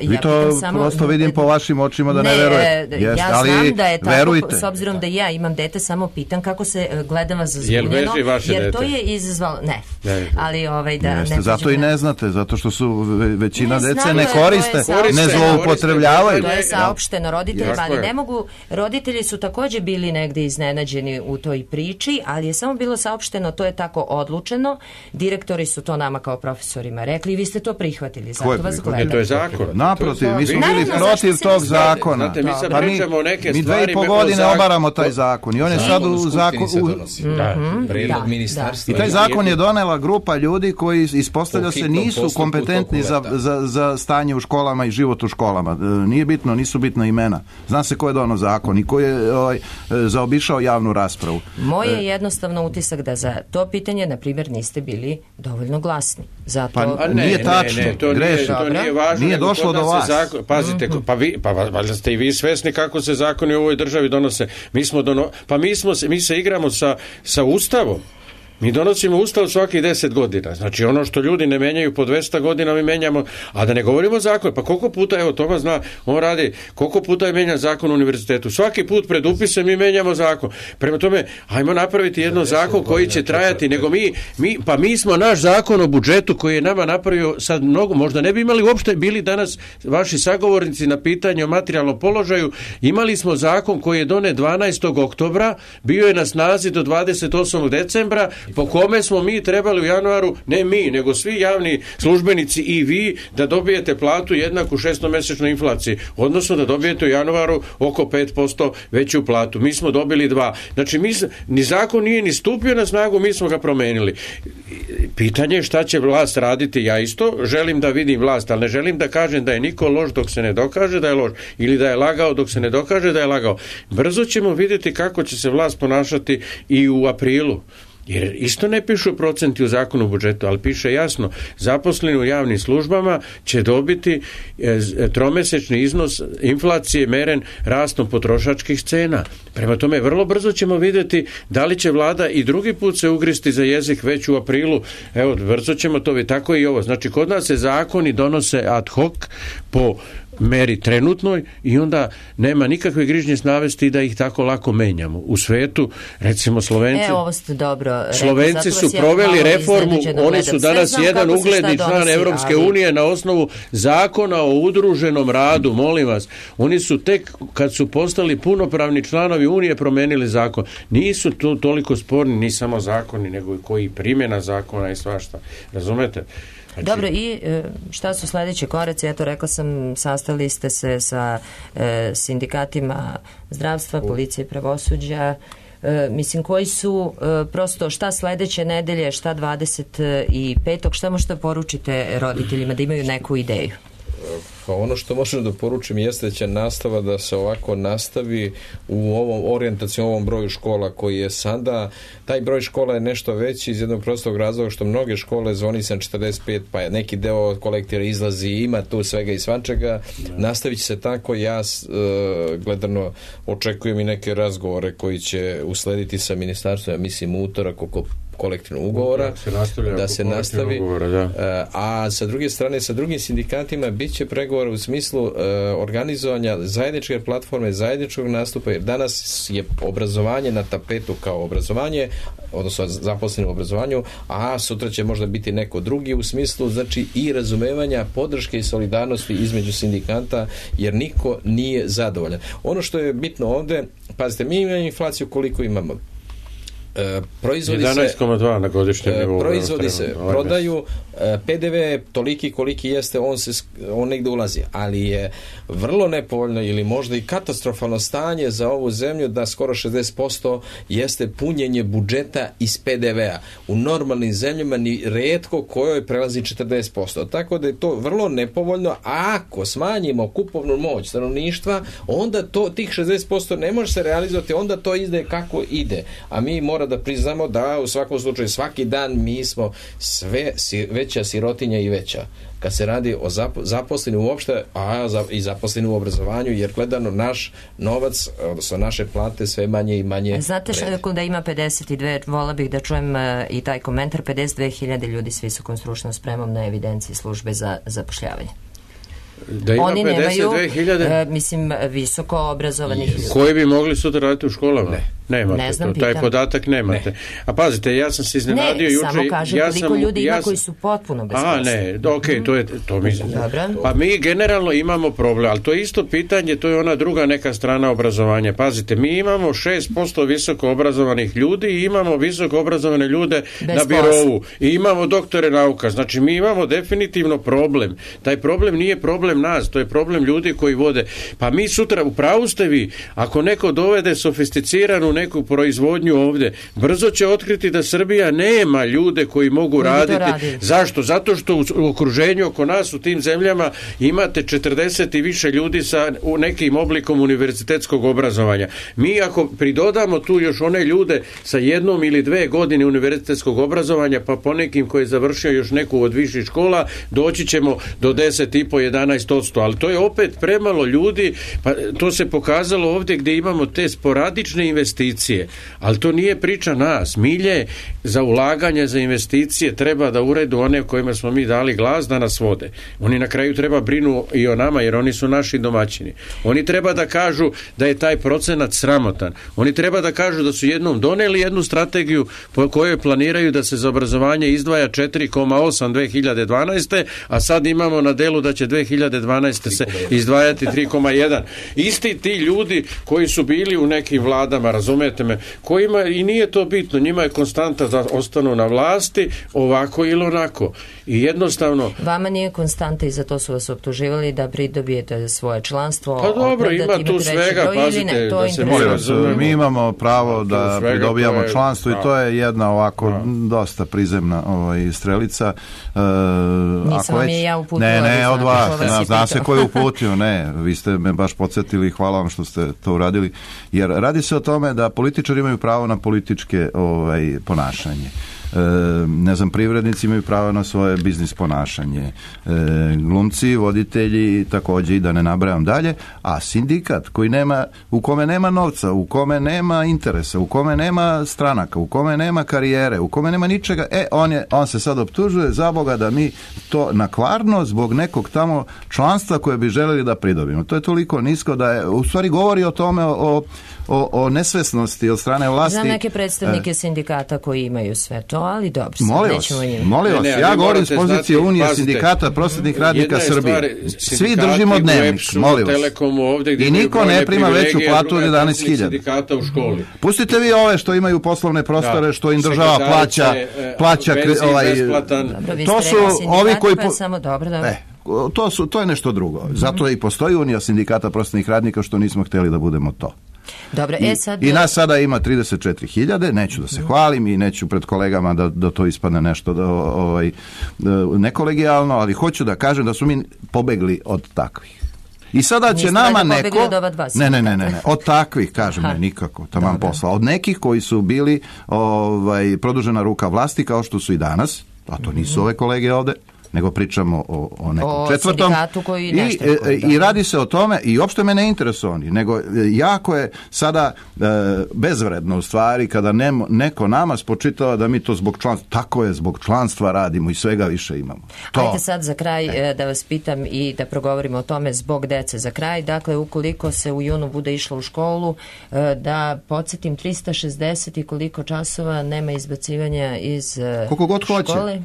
Vi to prosto vidim po vašim očima da ne verujete. Ja znam da je tako, verujte. S obzirom da ja imam dete, samo pitam kako se gleda vas zbunjeno, jer to je izazvalo... Ne. Ali zato i ne znate, zato što su većina dece ne koriste, ne zloupotrebljavaju. To je saopšteno roditeljima, ali ne mogu... Roditelji su također bili negdje iznenađeni u toj priči, ali je samo bilo saopšteno, to je tako odlučeno. Direktori su to nama kao profesorima rekli i vi ste to prihvatili, zato vas gledaju. To je zakon. Naprotiv, mi smo bili protiv tog zakona. Znate, mi sad pričamo o neke stvari. 2,5 godine obaramo taj zakon i on je sad u zakonu. I taj zakon je donela grupa ljudi koji ispostavlja se nisu kompetentni za stanje u školama i život u školama. Nije bitno, nisu bitna imena. Zna se ko je donao zakon i ko je zaobišao javnu raspravu. Moj je jednostavno utisak da za to pitanje, na primjer, niste bili dovoljno glasni. Zato... Nije tačno, grešno. To nije važno. Nije došlo do vas. Pazite, pa valjda ste i vi svesni kako se zakoni u ovoj državi donose. Mi se igramo sa Ustavom. Mi donosimo Ustav svaki 10 godina. Znači ono što ljudi ne menjaju po 200 godina mi menjamo, a da ne govorimo zakon. Pa koliko puta, evo Toma zna, on radi, koliko puta je menjan zakon u univerzitetu. Svaki put pred upisem mi menjamo zakon. Prema tome, ajmo napraviti jedno zakon koji će trajati, nego mi smo naš zakon o budžetu koji je nama napravio sad mnogo, možda ne bi imali uopšte bili danas vaši sagovornici na pitanje o materijalnom položaju, imali smo zakon koji je donet 12. oktobra, bio je na snazi do 28. decembra, po kome smo mi trebali u januaru, ne mi, nego svi javni službenici i vi, da dobijete platu jednaku 6-mesečnoj inflaciji, odnosno da dobijete u januaru oko 5% veću platu. Mi smo dobili 2. Znači, ni zakon nije ni stupio na snagu, mi smo ga promenili. Pitanje je šta će vlast raditi. Ja isto želim da vidim vlast, ali ne želim da kažem da je niko loš dok se ne dokaže da je loš, ili da je lagao dok se ne dokaže da je lagao. Brzo ćemo vidjeti kako će se vlast ponašati i u aprilu. Jer isto ne pišu procenti u zakonu o budžetu, ali piše jasno, zaposleni u javnim službama će dobiti tromesečni iznos inflacije meren rastom potrošačkih cena. Prema tome, vrlo brzo ćemo vidjeti da li će vlada i drugi put se ugristi za jezik već u aprilu. Evo, brzo ćemo to vidjeti. Tako i ovo. Znači, kod nas se zakoni donose ad hoc po meri trenutnoj i onda nema nikakve grižnje navesti da ih tako lako menjamo. U svetu, recimo Slovenci... ovo ste dobro rekli. Slovenci su proveli reformu, oni su danas jedan ugledni član Evropske unije na osnovu zakona o udruženom radu, molim vas. Oni su tek, kad su postali punopravni članovi unije, promenili zakon. Nisu tu toliko sporni ni samo zakoni, nego i koji primjena zakona i svašta. Razumete? Znači... Dobro, i šta su sledeće koraci? Eto, rekla sam, sastali ste se sa sindikatima zdravstva, policije, pravosuđa. Mislim, koji su prosto šta sledeće nedelje, šta 25. Šta možete poručite roditeljima da imaju neku ideju? Pa ono što možemo da poručim jeste da će nastava da se ovako nastavi u ovom orijentacijom, ovom broju škola koji je sada. Taj broj škola je nešto veći iz jednog prostog razloga što mnoge škole zvoni se na 45, pa je neki deo kolektiva izlazi, ima tu svega i svačega. Nastavit će se tako. Ja gledano očekujem i neke razgovore koji će uslediti sa ministarstvom, ja mislim utorak oko kolektivnog ugovora, da se nastavi. A sa druge strane, sa drugim sindikatima bit će pregovor u smislu organizovanja zajedničke platforme, zajedničkog nastupa, jer danas je obrazovanje na tapetu kao obrazovanje, odnosno zaposleni u obrazovanju, a sutra će možda biti neko drugi u smislu, znači i razumevanja, podrške i solidarnosti između sindikata, jer niko nije zadovoljan. Ono što je bitno ovde, pazite, mi imamo inflaciju koliko imamo. 11,2 na godišnjem nivou. Proizvodi se, prodaju, PDV je toliki koliki jeste, on negde ulazi, ali je vrlo nepovoljno ili možda i katastrofalno stanje za ovu zemlju da skoro 60% jeste punjenje budžeta iz PDV-a. U normalnim zemljama ni retko kojoj prelazi 40%. Tako da je to vrlo nepovoljno, a ako smanjimo kupovnu moć stanovništva, onda tih 60% ne može se realizovati, onda to ide kako ide. A mi mora da priznamo da u svakom slučaju svaki dan mi smo sve veća sirotinja i veća. Kad se radi o zaposleni uopšte, i zaposleni u obrazovanju, jer gledano naš novac, odnosno naše plate sve manje i manje. Znate da ima 52, vola bih da čujem i taj komentar, 52.000 ljudi s visokom stručnom spremom na evidenciji službe za zapošljavanje. Da ima oni 52.000 mislim visoko obrazovanih ljudi. Koji bi mogli sutra raditi u školama? Nemate ne znam, to. Taj podatak nemate. A pazite, ja sam se iznenadio juče. Ne, samo kažem koliko ljudi ima koji su potpuno bez posla. To mislim. Pa mi generalno imamo problem, ali to je isto pitanje, to je ona druga neka strana obrazovanja. Pazite, mi imamo 6% visoko obrazovanih ljudi i imamo visoko obrazovane ljude bez na birovu. I imamo doktore nauka. Znači, mi imamo definitivno problem. Taj problem nije problem nas, to je problem ljudi koji vode. Pa mi sutra, u pravu ste vi, ako neko dovede sofisticiranu neku proizvodnju ovdje, brzo će otkriti da Srbija nema ljude koji mogu raditi. Zašto? Zato što u okruženju oko nas u tim zemljama imate 40 i više ljudi sa nekim oblikom univerzitetskog obrazovanja. Mi ako pridodamo tu još one ljude sa 1 ili 2 godine univerzitetskog obrazovanja, pa po nekim koji je završio još neku od viših škola, doći ćemo do 10,5-11%, ali to je opet premalo ljudi, pa to se pokazalo ovdje gdje imamo te sporadične investicije, ali to nije priča nas. Milje za ulaganje, za investicije treba da uredu one kojima smo mi dali glas da nas vode. Oni na kraju treba brinu i o nama, jer oni su naši domaćini. Oni treba da kažu da je taj procenat sramotan. Oni treba da kažu da su jednom doneli jednu strategiju po kojoj planiraju da se za obrazovanje izdvaja 4,8 2012. a sad imamo na delu da će 2012. se izdvajati 3,1. Isti ti ljudi koji su bili u nekim vladama, razumete me, kojima i nije to bitno, njima je konstanta da ostanu na vlasti ovako ili onako. I jednostavno... Vama nije konstanta i za to su vas optuživali da pridobijete svoje članstvo. Pa dobro, ima tu svega, pazite, da se mi imamo pravo da pridobijamo članstvo i to je jedna ovako dosta prizemna strelica. Nisam vam je ja uputila. Ne, od vas. Zna se ko je uputio. Ne, vi ste me baš podsjetili i hvala vam što ste to uradili. Jer radi se o tome da političari imaju pravo na političke ponašanje. Ne znam, privrednici imaju pravo na svoje biznis ponašanje, glumci, voditelji također, i da ne nabrajam dalje, a sindikat u kome nema novca, u kome nema interesa, u kome nema stranaka, u kome nema karijere, u kome nema ničega, on se sad optužuje za Boga da mi to nakvarno zbog nekog tamo članstva koje bi željeli da pridobimo. To je toliko nisko da je, u stvari govori o tome, o nesvesnosti od strane vlasti. Znam neke predstavnike sindikata koji imaju sve to, ali dobro, molim vas, ja govorim s pozicije Unije sindikata prosvetnih radnika Srbije. Svi držimo dnevnik, molim vas. I niko ne prima veću platu od 11.000. Pustite vi ove što imaju poslovne prostore, što im država plaća to su ovi koji... To je nešto drugo. Zato i postoji Unija sindikata prosvetnih radnika, što nismo htjeli da budemo to. Dobro, I nas sada ima 34.000, neću da se hvalim i neću pred kolegama da to ispadne nešto nekolegijalno, ali hoću da kažem da su mi pobegli od takvih. I sada će nama neko... Ne, od takvih, kažem, ne, nikako, taman posla. Od nekih koji su bili produžena ruka vlasti, kao što su i danas, a to nisu ove kolege ovde, nego pričamo o nekom četvrtom. I radi se o tome, i uopšte me ne interesuje oni, nego jako je sada bezvredno u stvari kada neko nama spočitava da mi to zbog članstva, tako je, zbog članstva radimo i svega više imamo. Ajde sad za kraj da vas pitam i da progovorimo o tome zbog dece za kraj. Dakle, ukoliko se u junu bude išlo u školu, da podsjetim 360 i koliko časova nema izbacivanja iz koliko god škole.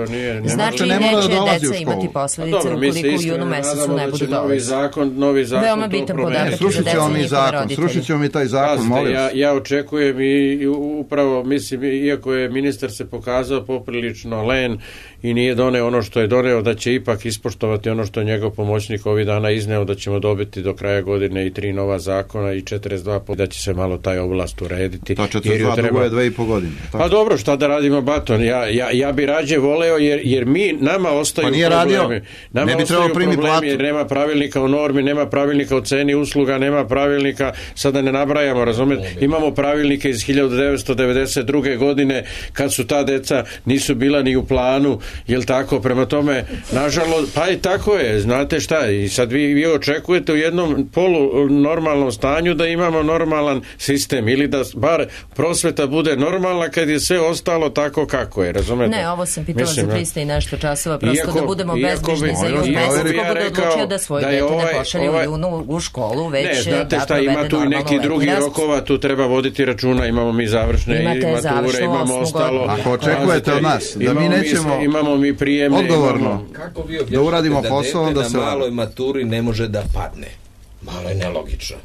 Nije. Znači, neće deca imati posljedice ukoliko u junu mesecu ne budu dolaziti. Novi zakon veoma bitan podatak za deca i njihove roditelje. Srušit ćemo mi taj zakon, molim. Ja očekujem i upravo, mislim, iako je ministar se pokazao poprilično len i nije doneo ono što je doneo, da će ipak ispoštovati ono što je njegov pomoćnik ovih dana izneo, da ćemo dobiti do kraja godine i 3 nova zakona i 42, da će se malo taj oblast urediti. Ta 42 dugo je 2,5 godine. Pa dobro, šta da radimo, Baton? Ja bi rađe voleo, jer nama ostaju problemi. Nama ostaju problemi jer nema pravilnika o normi, nema pravilnika o ceni usluga, nema pravilnika, sada ne nabrajamo, razumete? Imamo pravilnike iz 1992. godine kad su ta deca nisu bila ni u planu, jel tako? Prema tome, nažalost, pa i tako je, znate šta, i sad vi očekujete u jednom polunormalnom stanju da imamo normalan sistem ili da bar prosveta bude normalna kad je sve ostalo tako kako je, razumete? Ne, ovo sam pitala za 300 i nešto časova, prosto da budemo bezbrižni za jun mesec, ko bude odlučio da svoj dete ne pošalje u junu u školu, već ne, znate šta, ima tu i neki drugi rokova, tu treba voditi računa, imamo mi završne mature, imamo ostalo. Ako očekujete od nas da mi nećemo imamo mi prijemne, odgovorno kako vi da uradimo posao da se maloj maturi ne može da padne? Malo je nelogično.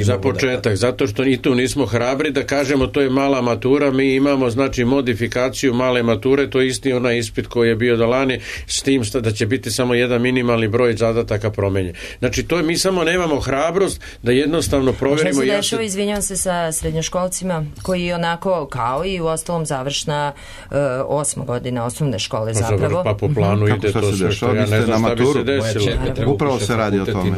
Za početak, zato što i tu nismo hrabri da kažemo to je mala matura, mi imamo znači modifikaciju male mature, to je isti onaj ispit koji je bio do lani, s tim da će biti samo jedan minimalni broj zadataka promenjen. Znači to je, mi samo nemamo hrabrost da jednostavno proverimo. Šta se dešava, izvinjavam se, sa srednjoškolcima koji onako kao i u ostalom završna 8. godina osnovne škole zapravo. Pa po planu ide to sve što ja ne znam šta bi se desilo. Upravo se radi o tome.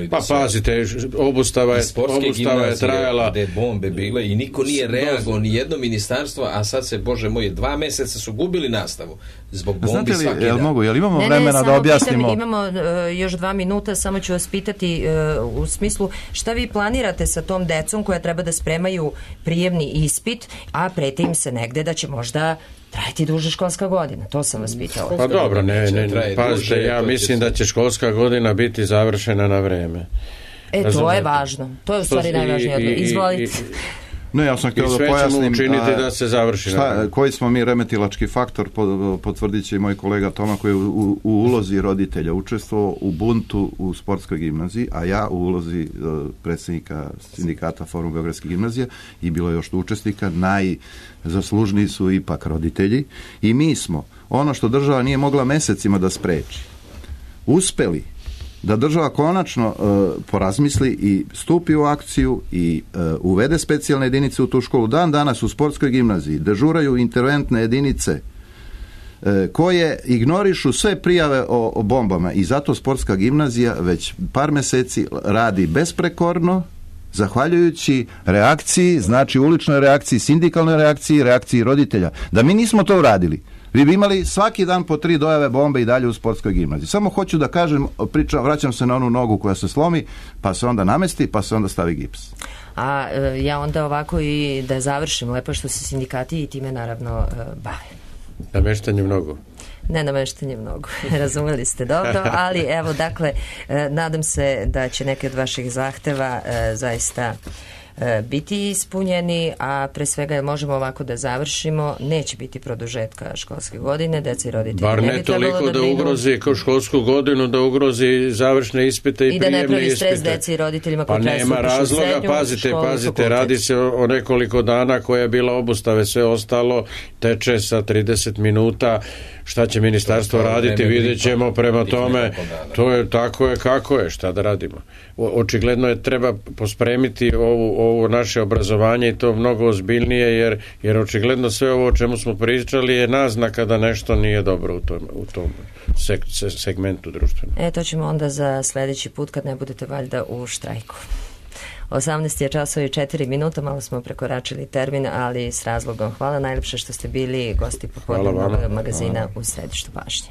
Pa pazite, obustava je trajala. Gde bombe bile i niko nije reagovao, ni jedno ministarstvo, a sad se, Bože moj, 2 meseca su gubili nastavu zbog bombi svaki dan. Jel imamo vremena da objasnimo? Imamo još 2 minuta, samo ću vas pitati u smislu šta vi planirate sa tom decom koja treba da spremaju prijemni ispit, a prete im se negde da će možda trajati duže školska godina, to sam vas pitala. Pa dobro, pazite, ja mislim da će školska godina biti završena na vreme. To je važno. To je u stvari najvažnije odgovor. Izvolite. No, ja sam htio da pojasnim učiniti da se završi. Koji smo mi remetilački faktor, potvrdit će i moj kolega Toma koji je u ulozi roditelja učestvovao u buntu u sportskoj gimnaziji, a ja u ulozi predsjednika sindikata Forum Beogradske gimnazije i bilo je još učesnika, najzaslužniji su ipak roditelji i mi smo, ono što država nije mogla mesecima da spreči, uspeli da država konačno porazmisli i stupi u akciju i uvede specijalne jedinice u tu školu. Dan danas u sportskoj gimnaziji dežuraju interventne jedinice koje ignorišu sve prijave o bombama i zato sportska gimnazija već par meseci radi besprekorno, zahvaljujući reakciji, znači uličnoj reakciji, sindikalnoj reakciji, reakciji roditelja. Da mi nismo to uradili, vi bi imali svaki dan po 3 dojave bombe i dalje u sportskoj gimnaziji. Samo hoću da kažem, vraćam se na onu nogu koja se slomi, pa se onda namesti, pa se onda stavi gips. A ja onda ovako i da završim lepo što se sindikati i time naravno bave. Nameštanje mnogo. Ne nameštanje mnogo, razumeli ste dobro, ali evo dakle, nadam se da će neki od vaših zahteva zaista biti ispunjeni, a pre svega možemo ovako da završimo, neće biti produžetka školske godine, deca i roditelji bar ne toliko da ugrozi školsku godinu, da ugrozi završne ispite i prijemne ispite. I da ne pravi stres deci i roditeljima koji treba nema razloga, pazite, radi se o nekoliko dana koja je bila obustave, sve ostalo teče sa 30 minuta, šta će ministarstvo raditi, vidjet ćemo, prema tome, to je tako je kako je, šta da radimo. Očigledno je treba pospremiti ovo naše obrazovanje i to mnogo ozbiljnije, jer očigledno sve ovo o čemu smo pričali je naznaka da nešto nije dobro u tom segmentu društvenog. To ćemo onda za sledeći put kad ne budete valjda u štrajku. 18 je časova i 4 minuta, malo smo prekoračili termin, ali s razlogom. Hvala najlepše što ste bili gosti popodnevnog magazina u središtu pažnje.